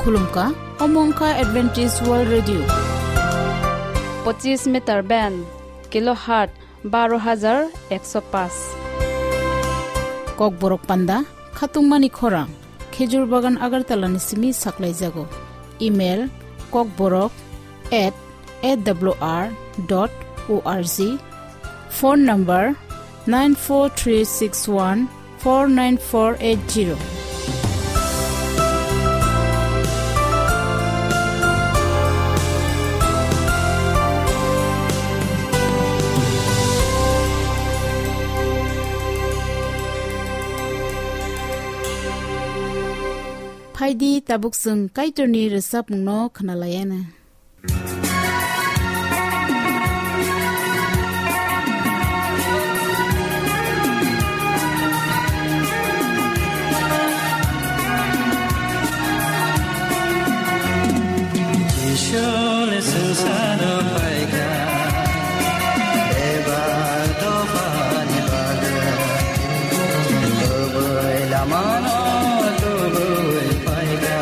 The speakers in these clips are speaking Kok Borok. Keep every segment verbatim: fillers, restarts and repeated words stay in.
Khulumkha, omo wngkha Adventist World Radio. Pochis meter band, kilohertz baro hajar ekso paanch. Kokborok panda, khatungmani khorang, Khejur Bagan Agartala ni simi saklaijago. Email, kokborok at A W R dot O R G. Phone number, nine four three six one four nine four eight zero. Phaidi, tabuk chwng Kaitorni rwchapmungno khwnalaiana. Jisu le swngcharo phaikha, bebak dophani bagwi. Kubui lamano tubui phaikha,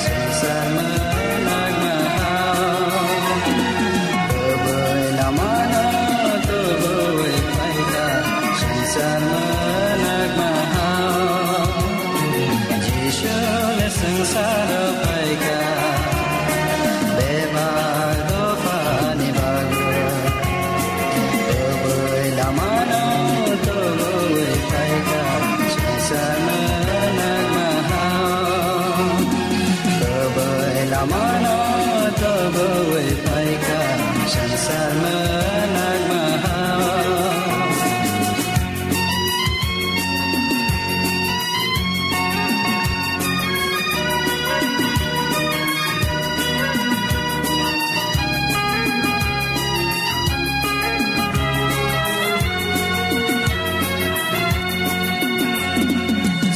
swngchar mwnakma hao. Kubui lamano tubui phaikha, swngchar mwnakma hao. Jisu le swngcharo phaikha, bebak dophani bagwi. Kubui lamano tubui phaikha, swngchar mwnakma hao. Kubui lamano tubui phaikha, swngchar mwnakma hao.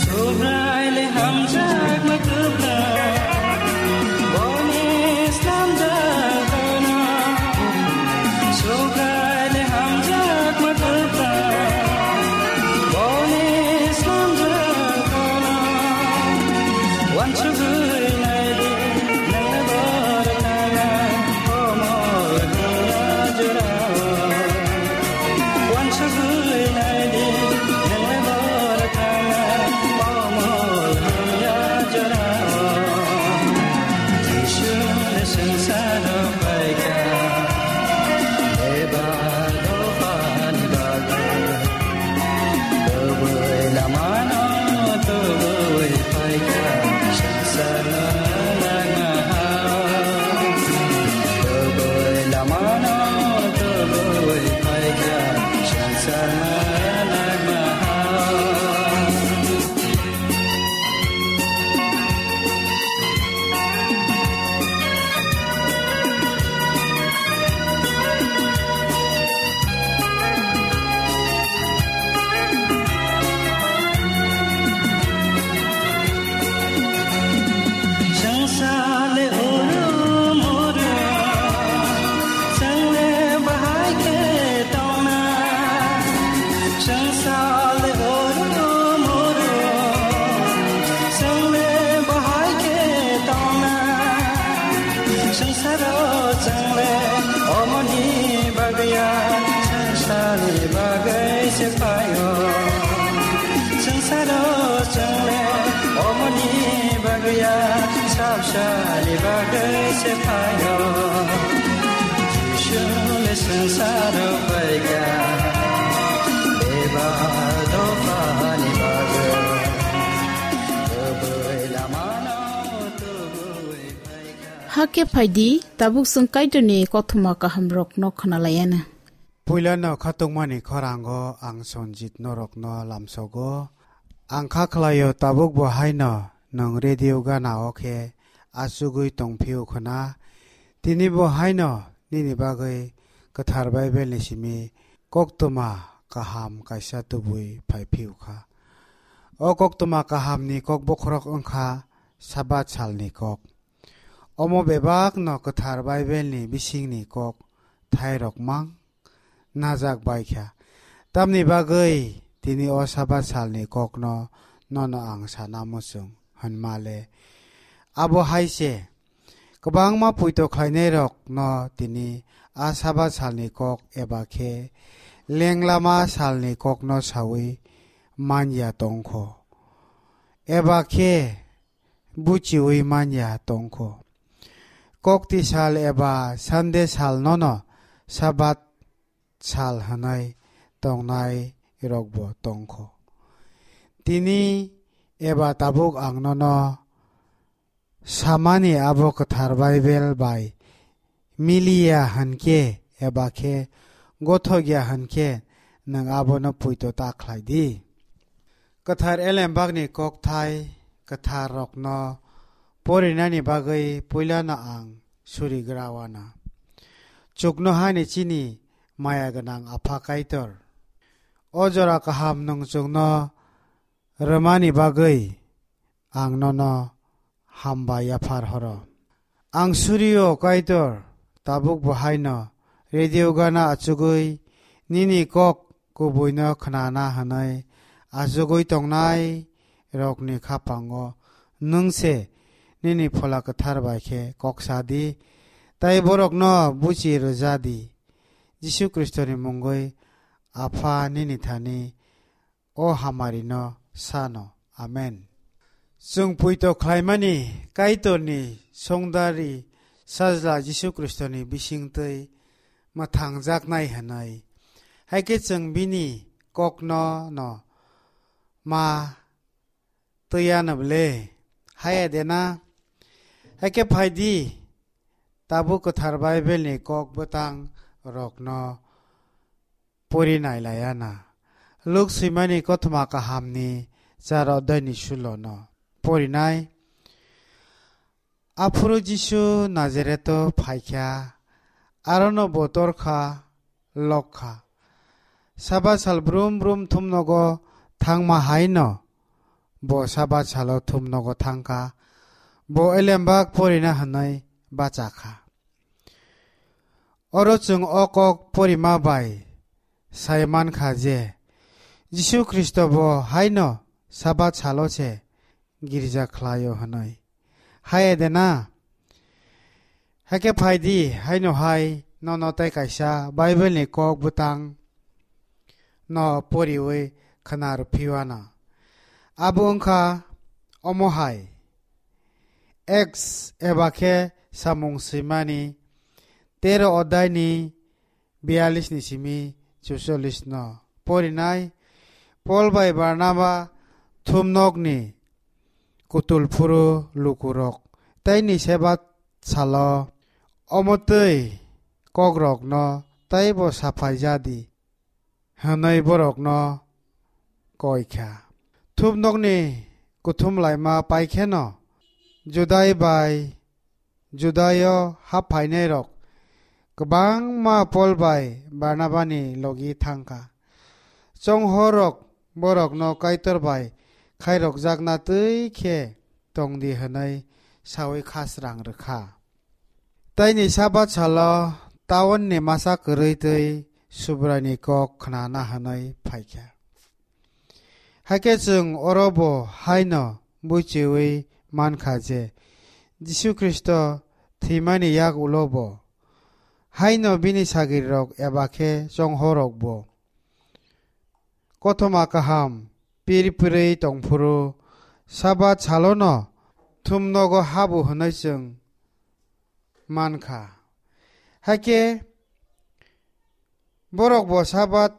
Subrai le hamjakma kwplai, boni slamjak gana. Subrai le hamjakma kwplai, boni slamjak gana. Wansugwi naidi, nangni borok thangnai, komol hamya jorao. Wansugwi naidi, nangni borok thangnai, komol hamya jorao. Jisu le swngcharo phaikha, bebak dophani bagwi. Kubui lamano tubui phaikha, swngchar mwnakma hao. Kubui lamano tubui phaikha, swngchar mwnakma hao. Swngchar le uru muru, chwng le bahai khe tongna. Swngchar le uru muru, chwng le bahai khe tongna. Swngcharo chwng le omoni bagwi ya, swngcharni bagwi se phaio. Swngcharo chwng le omoni bagwi ya, swngcharni bagwi se phaio. Jisu le swngcharo phaikha, bebak dophani bagwi. Kubui lamano tubui phaikha. Hakhe phaidi, tabuk chwng Kaitorni kothoma kahamrokno khwnalaiana. Puilano khatungmani khorango ang Sonjit norokno lamsogo. Ang kha khlaio, tabuk bo haino nwng radio gana o khe achugwi tong phio khna. Tini bo haino nini bagwi Kwthar Bible ni simi koktwma kaham kaisa tubui phai phio kha. O koktwma kahamni kok bokhorok wngkha Sabat salni kok. Omo bebakno Kwthar Bible ni bisingni kok thairok mang najak bai kha. Tamni bagwi tini o Sabat salni kokno nono ang sana muchung hwnma le, Abo hai se, kwbangma poito khlainairokno tini a Sabat salni kok eba khe lenglama salni kokno saui man ya tong kho, eba khe buchiui man ya tong kho. Kokti sal eba Sande salnono Sabat sal hwnwi tongnairokbo tong kho. Tini eba tabuk ang nono samani abo kwthar Baibel bai mili ya hwn khe eba khe gothok ya hwn khe nwng abono poito ta khlai di. Kwthar Elembakni kokthai kwtharrokno porinani bagwi puilano ang surigra wana. Chuknohani chini maya gwnang Apha Kaitor, o jora kaham nwng chwngno rwmani bagwi ang nono hambai yaphar horo. Ang surio Kaitor, tabuk bo haino radio gana achugwi nini kok kubuino khnana hwnwi achugwi tongnai rokni khapango nwng se nini Phola Kwthar bai khe kok sa di, tei borokno buchi rwja di. Jisu Khristoni mungwi Apha nini thani o hamarino sano. Amen. Chwng poito khlaimani Kaitorni songdari Sajla Jisu Khristoni bisingtwi mwthangjaknai hwnwi, hai khe chwng bini kokno no ma twiya nable, haya de na? Hai khe phai di, tabuk kwthar Baibelni kok bwtang rokno pori nai laiya na. Luk swimani kothoma kahamni char odhaini sulono porinai. Aphuru Jisu Nazareto phaikha, arono bo torkha, lokha. Sabat sal brum brum thumnogo thangma haino bo Sabat salo thumnogo thangkha. Bo elembak porina hwnwi bachakha. Oro chwng o kok porima bai sai mankha je Jisu Khristo bo haino Sabat salo se girja khlaio hwnwi. Haya de na? Hakhe phai di, haino hai nono tei kaisa Baibelni kok bwtang no poriwi khna rw phiwana. Abo wngkha omo hai. Acts eba khe Samung Swimani tero odhaini biyallis ni simi chuchollis no porinai. Pol bai Barnaba thumnokni kutul phuru lukurok tei ni Sabat salo omo twi kokrokno teibo saphai ja di hwnwi borokno koi kha. Thumnokni kuthum laima pai kheno Judai bai Judaio hap phainairok kwbangma Pol bai Barnabani logi thang kha. Chonghorrok borokno Kaitor bai khairokjakna twi khe tong di hwnwi saui kha srang rw kha. Tei ni Sabat salo taunni masa kwrwi twi Subraini kok khnana hwnwi phai kha. Hakhe chwng oro bo haino buichiui man kha je Jisu Khristo thwimani yak ulo bo haino bini sagrirok eba khe chonghorrok bo kothoma kaham pir pirwi tong phuru Sabat salono thumnogo habu hwnwi chwng man kha. Hakhe borok bo Sabat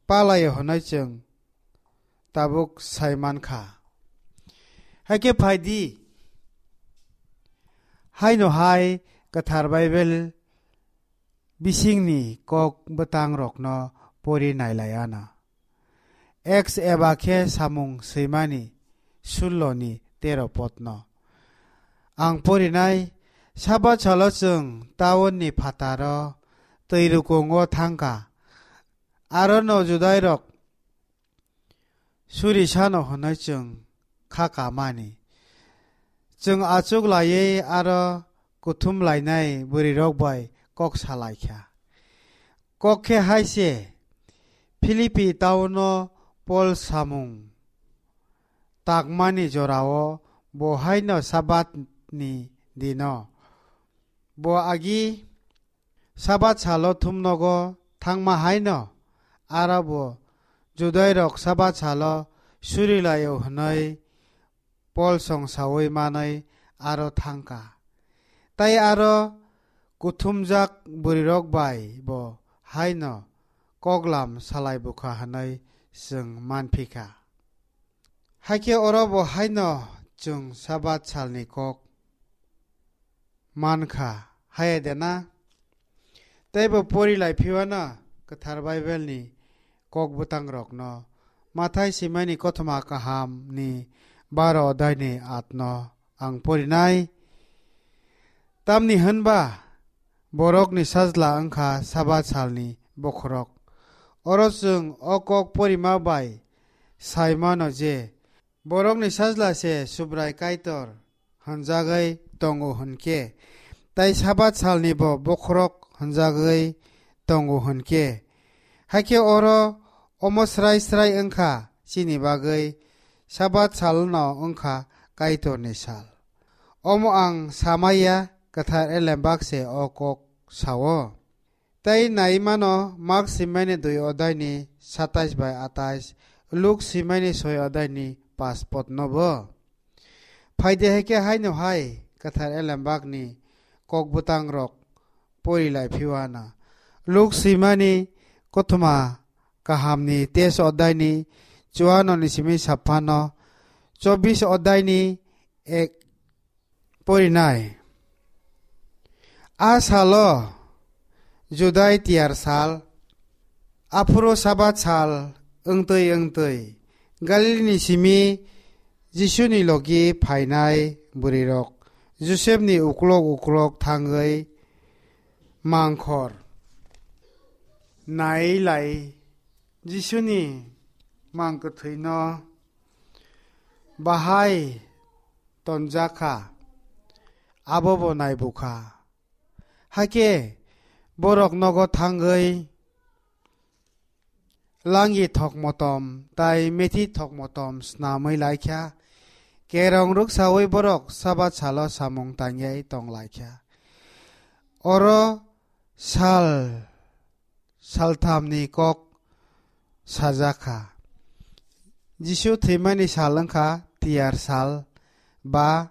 palaio hwnwi chwng tabuk sai man kha. Hakhe phai di, haino hai kwthar Baibel bisingni kok bwtangrokno pori nai lai anw. Acts eba khe Samung Swimani sullo ni tero podno. Ang porinai, Sabat salo chwng taunni phataro twi rukungo thang kha. Arono Judairok suri sano hwnwi chwng kha kamani. Chwng achuk laiwi aro kuthum lainai bwrwirok bai kok sa lai kha. Kok khe hai se, Philippi tauno Pol samung takmani jorao bo haino Sabat ni dino. Bo agi Sabat salo thumnogo thangma haino aro bo Judairok Sabat salo surilaio hwnwi Pol song saui manwi aro thangkha. Tai aro kuthumjak bwrwirok bai bo haino koklam salai bukha hwnwi chwng manphikha. Hakhe oro bo haino chwng Sabat salni kok mankha, haya de na? Tei bo pori lai phiwana Kwthar Baibelni kok bwtangrokno. Mathai simani kothoma kahamni baro odaini atno ang porinai. Tamni hwnba borokni sajla wngkha Sabat salni bokhorok. Oro chwng o kok porima bai sai mano je, borokni sajla se Subrai Kaitor hwnjagwi tongo hwnkhe, tai Sabat salni bo bokhorok hwnjagwi tongo hwnkhe, hakhe oro omo srai srai wngkha chini bagwi Sabat salno wngkha Kaitorni sal. Omo ang samaya, Kwthar Elembak se o kok sao. Tei nai mano Mak simani dui odaini satais bai atais, Luk simani soi odaini pas potno bo. Phaide hai khe haino hai Kwthar Elembakni kok bwtangrok pori lai phiwana. Luk simani kothoma kahamni tes odaini chuano ni simi saphano chobis odaini ek porinai. A salo Judai tiyar sal, aphuru Sabat sal wngtwi wngtwi Galilini simi Jisuni logi phainai bwrwirok Josepni uklok uklok thangwi mangkhor nai lai Jisuni mang kwthwino bahai tonjakha, abo bo naibukha. Hakhe borok nogo thangwi langi thokmotom tai methi thokmotom snamwi laikha, kerong rwksaui borok Sabat salo samung tangyai tong laikha. Oro sal salthamni kok sajakha. Jisu thwimani sal wngkha tiyar sal ba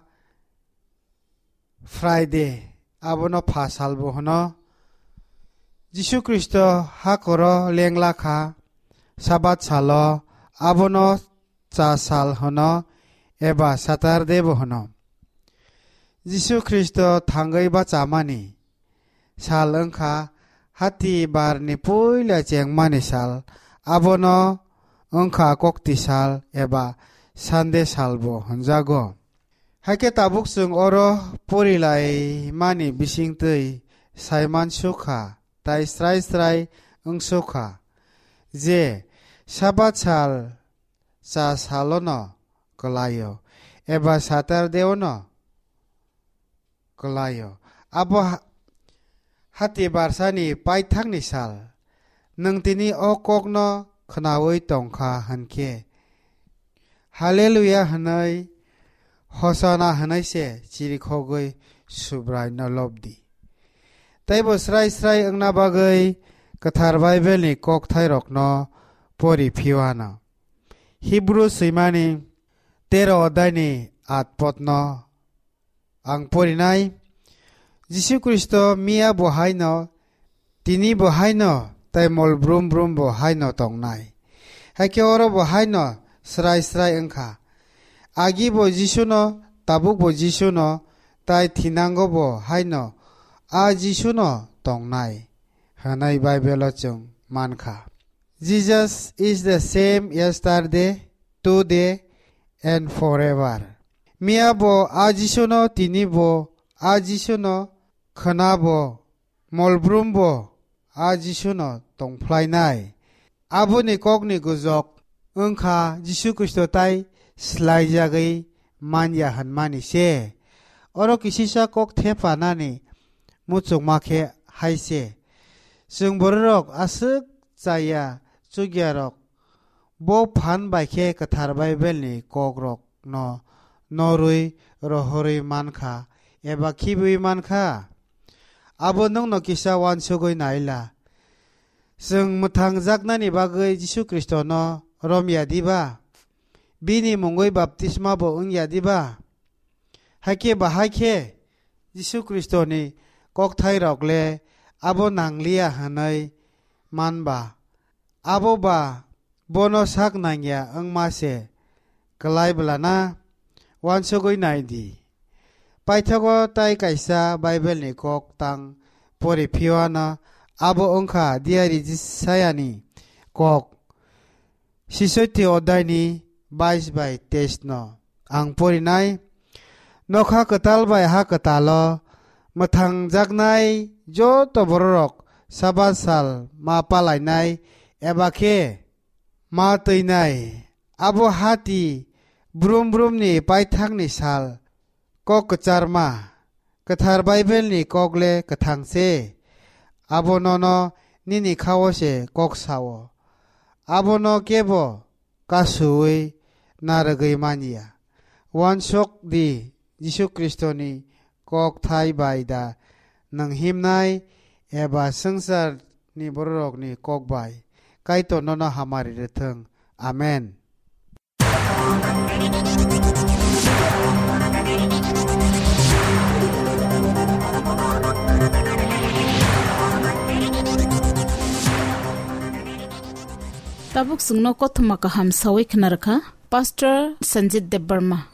Friday, abono pha sal bo hwno. Jisu Khristo hakoro lengla kha, Sabat salo abono cha sal hwno eba Saturday bo hwno. Jisu Khristo thangwi bachamani sal wngkha hati barni puila chengmani sal, abono wngkha kokti sal eba Sunday sal bo hwnjago. Hakhe tabuk chwng oro porilaimani bisingtwi saiman sukha tai srai srai wngsukha je Sabat sal cha salono kwlaio eba Saturday-ono kwlaio. Abo ha-, hati barsani paithakni sal. Nwng tini o kokno khnaui tongkha hwnkhe, Haleluya hwnwi, Hosana hwnwi se chirikhogwi Subraino lobdi. Teibo srai srai wngna bagwi Kwthar Baibelni kokthairokno pori phiwano. Hibru swimani tero odaini at potno ang porinai. Jisu Khristo miya bo haino, tini bo haino, tai mol brum brum bo haino tongnai. Hakhe oro bo haino srai srai wngkha. Agi bo Jisuno, tabuk bo Jisuno, tai thinango bo haino a Jisuno tongnai, hwnwi Baibelo chwng mankha. Jesus is the same yesterday, today, and forever. Miya bo a Jisuno, tini bo a Jisuno, khwna bo, molbrum bo a Jisuno tongphlainai. Aboni kokni gujok wngkha Jisu Khristo tai slaijagwi manya hwnmani se. Oro kisisa kok thephanani muchungma khe hai se. Chwng bororok aswk chaya chukyarok bo phan bai khe Kwthar Baibelni kokrokno norwi rohorwi man kha eba khibiui man kha? Abo nwngno kisa uansugui nai la. Chwng mwthangjaknani bagwi Jisu Khristono rom ya diba? Bini mungwi baptisma bo wng ya diba? Hakhe bahai khe Jisu Khristoni kokthairok le abo nang liya hwnwi man ba, abo ba bono sak nang ya wngma se klai bwlana? Uansugui nai di. Paithago tai kaisa Bible ni kok tang pori phiyano abo wng kha diyari Jisayani kok. Sisoiti odai ni bais bai teis no ang porinai. Nokha kwtal bai ha kwtalo mwthangjaknai joto bororok Sabat sal ma palainai eba khe ma twinai. Abo hati brum brum ni paithak ni sal. Kok kwcharma, kwthar Bible ni kok le kwthang se. Abo nono nini khao se kok sao. Abono kebo kasuui narwgwi man ya. Uansuk di, Jisu Khristoni kok thai bai da nwng himnai eba swngchar ni bororok ni kok bai Kaitor nono hamari rwthwng. Amen. Tabuk chwngno kothoma kaham sawi khna rwkha Pastor Sanjit Debbarma.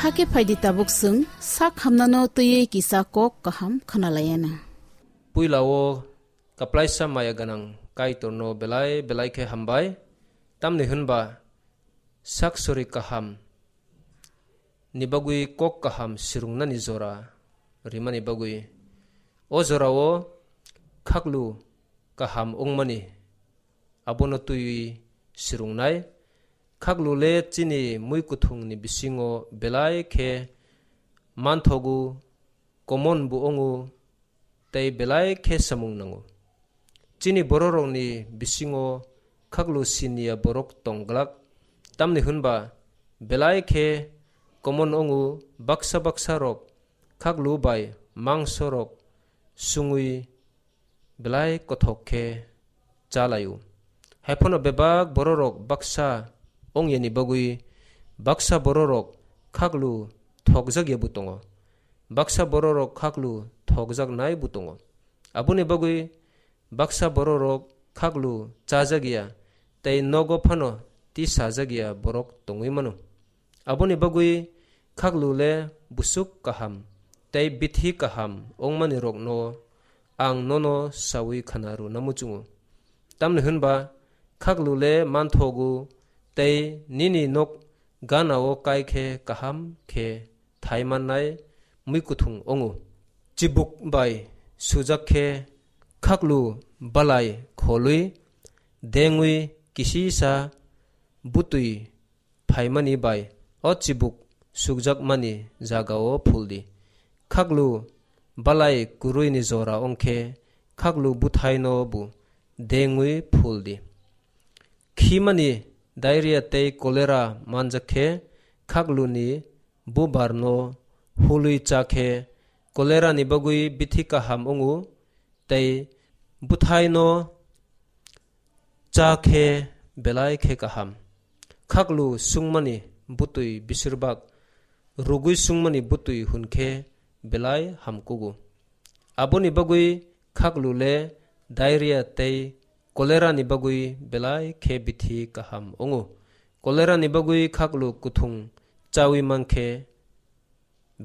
Hakhe phaidi tabuk chwng sak hamnano twiwi kisa kok kaham khwnalaiyana. Puila o kaplaisa maya gwnang Kaitorno belai belai khe hambai, tamni hwnba sak sori kaham ni bagwi kok kaham swrwngnani jora rimani bagwi. O jorao khaklu kaham wngmani abono twiwi swrwngnai. Khaklu le chini mui kuthungni bisingo belai khe manthogo, common bo wngo, tei belai khe samung nango. Chini bororokni bisingo khaklu siniya borok tong glak, tamni hwnba belai khe common wngo, baksa baksa rok khaklu bai mangso rok sungwi belai kothok khe cha lai-o. Hai phano bebak bororok baksa ong yani bagwi baksa bororok khaklu thokjak ya bo tongo, baksa bororok khaklu thokjak nai bo tongo. Aboni bagwi baksa bororok khaklu chajak ya tei nogo phano tisajak ya borok tongwi mano. Aboni bagwi khaklu le busuk kaham tei bithi kaham wngmani rokno ang nono sawi khana rwna muchungo. Tamni hwnba khaklu le manthogo tei nini nok ganao kai khe kaham khe thai mannai mui kuthung wngo. Chibuk bai sujak khe khaklu balai kholwi dengwi kisisa butwi phaimani bai o chibuk sukjakmani jagao phuldi. Khaklu balai kwrwini jora wngkhe khaklu bwthaino bo dengwi phuldi. Khimani diarrhea tei cholera manjak khe khakluni bubarno hulwi cha khe cholera ni bagwi bithi kaham wngo tei bwthaino cha khe belai khe kaham. Khaklu sungmani bwtwi bisirbak rugwi sungmani bwtwi hwn khe belai hamkugo. Aboni bagwi khaklu le diarrhea tei cholera ni bagwi belai khe bithi kaham wngo. Cholera ni bagwi khaklu kuthung chawi mankhe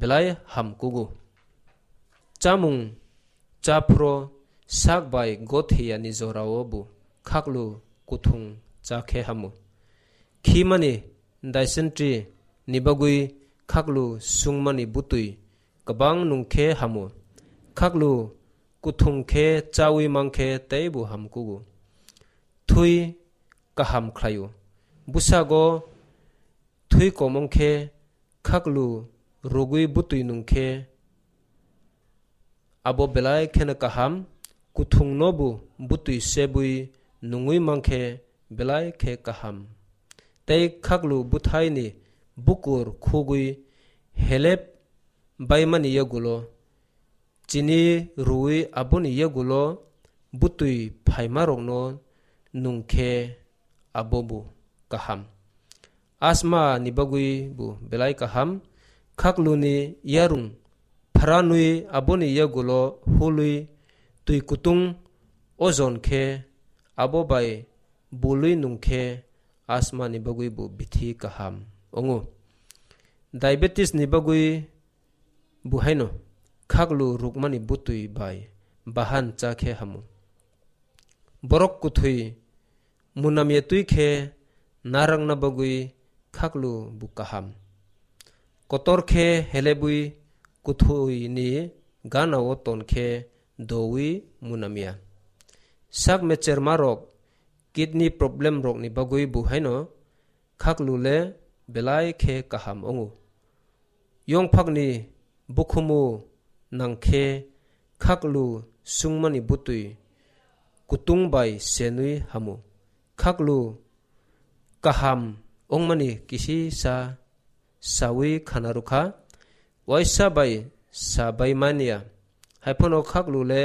belai hamkugo. Chamung chaphro sak bai gothiyani jorao bo khaklu kuthung cha khe hamo. Khimani dysentery ni bagwi khaklu sungmani bwtwi kwbang nung khe hamo. Khaklu kuthung khe chawi mankhe teibo hamkugo. Thwi kaham khlaio. Bwsago thwi kom wngkhe khaklu rugwi bwtwi nungkhe abo belai kheno kaham, kuthungno bo bwtwi sebwi nungwi mankhe belai khe kaham. Tei khaklu bwthaini bukur khugwi helep baimani yagulo chini rwui aboni yagulo bwtwi phaimarokno nungkhe abo bo kaham. Asma ni bagwi bo belai kaham, khakluni yarung phranwi aboni yagulo hulwi twi kutung ojon khe abo bai bulwi nungkhe asma ni bagwi bo bithi kaham wngo. Diabetes ni bagwi bo haino khaklu rukmani bwtwi bai bahan cha khe hamo. Borok kwthwi munamya twi khe narakna bagwi khaklu bo kaham. Kotor khe helebwi kwthwini ganao ton khe dowi munamya. Sak mechermarok, kidney problem rokni bagwi bo haino khaklu le belai khe kaham wngo. Yongphakni bukhumu nangkhe khaklu sungmani bwtwi kutung bai senwi hamo. Khaklu kaham wngmani kisisa sawi khana rwkha, waisa bai sa bai manya. Haiphano khaklu le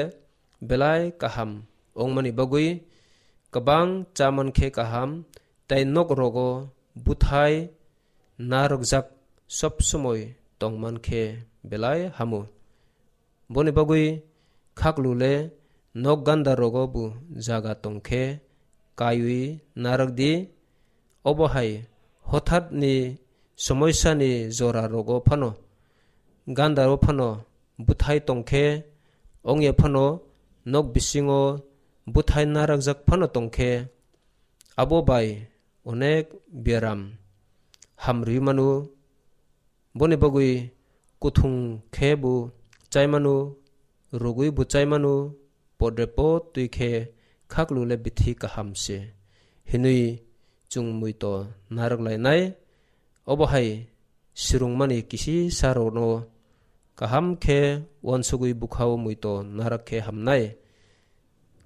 belai kaham wngmani bagwi kwbang cha mankhe kaham, tei nok rogo bwthai narwkjak sob somoi tongman khe belai hamo. Boni bagwi khaklu le nok ganda rogo bo jaga tongkhe kaiwi narwk di. Obo hai hothat ni somoisani jora rogo phano, gandaro phano bwthai tongkhe, ongya phano nok bisingo bwthai narakjak phano tongkhe, abo bai onek biaram hamrwi manu. Boni bagwi kuthung khe bo chai manu, rugwi bo chai manu, podre pod twi khe khaklu le bithi kaham se hinwi chwng muito narak lainai. Obo hai swrwngmani kisi sarokno kaham khe uansugwi bwkhao muito narak khe hamnai.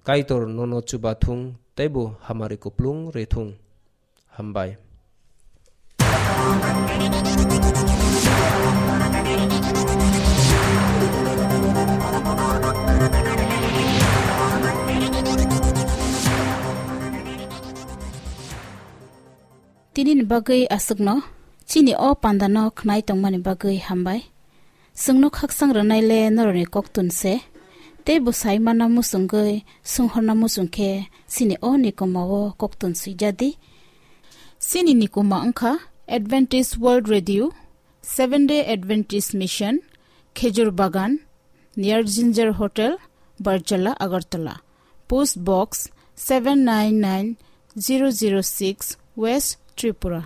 Kaitor nono chubathung teibo hamari kuplung rithung. Hambai. Tini ni bagwi aswkno, chini o pandano khnai tongmani bagwi hambai. Chwngno khaksang rwnai le norokni koktun se, tei bwsai manna muchungwi swnghorna muchung khe chini o nikoma o koktun swijadi. Chini nikoma wngkha Adventist World Radio, Seventh Day Adventist Mission, Khejur Bagan, near Ginger Hotel, Barjala, Agartala. Post Box seven nine nine zero zero six, West Tripura.